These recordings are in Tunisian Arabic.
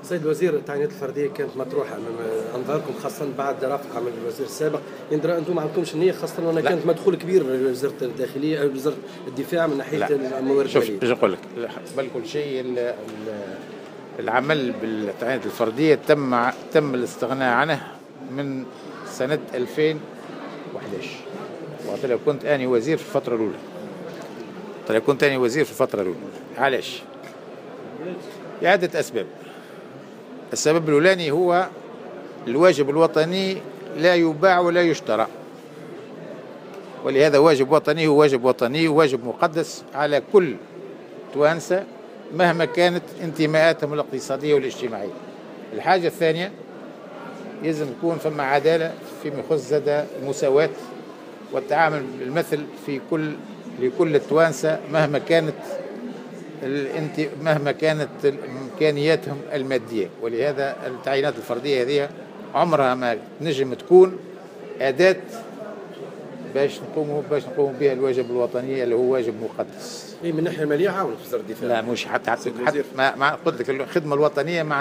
سيد الوزير، التعيينات الفردية كانت مطروحة امام انظاركم، خاصة بعد رفع عمل الوزير السابق. انتم ما عندكمش النيه، خاصة وان كانت مدخول كبير لوزارة الداخلية او وزارة الدفاع من ناحية الموارد؟ شوف، باش نقول لك قبل كل شيء، العمل بالتعيينات الفردية تم الاستغناء عنه من سنة 2011، وقت كنت اني وزير في الفترة الاولى. طيب، كنت اني وزير في الفترة الاولى، علاش؟ لعدة اسباب. السبب الاولاني هو الواجب الوطني لا يباع ولا يشترى، ولهذا واجب وطني هو واجب وطني وواجب مقدس على كل توانسة مهما كانت انتماءاتهم الاقتصادية والاجتماعية. الحاجة الثانية، لازم يكون فما عدالة فيما يخص زاد المساواة والتعامل بالمثل في كل لكل التوانسة مهما كانت امكانياتهم الماديه. ولهذا التعيينات الفردية هذه عمرها ما تنجم تكون اداه باش نقوموا بها الواجب الوطني اللي هو واجب مقدس. اي، من الناحية المالية عاونت وزارة الدفاع. لا، مش حتى ما قلت لك، الخدمة الوطنية ما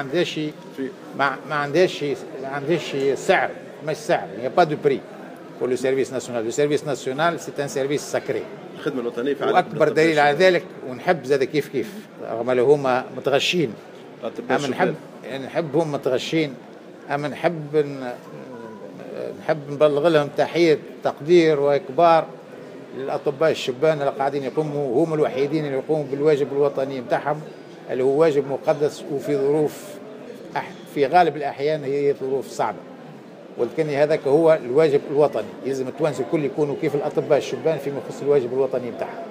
عندهاش سعر، مش سعر، il n'y a pas de prix pour le service national. le service national، c'est un service sacré. الخدمة الوطنية في واكبر دليل على ذلك، ونحب زاد كيف كيف رغم اللي هما متغشين، اما نحب هم متغشين، اما نحب نبلغ لهم تحية تقدير واكبار للاطباء الشبان اللي قاعدين يقوموا، هم الوحيدين اللي يقوموا بالواجب الوطني نتاعهم اللي هو واجب مقدس، وفي ظروف في غالب الاحيان هي ظروف صعبه، ولكن هذاك هو الواجب الوطني. يلزم التوانسة الكل يكونوا كيف الاطباء الشبان فيما يخص الواجب الوطني نتاعهم.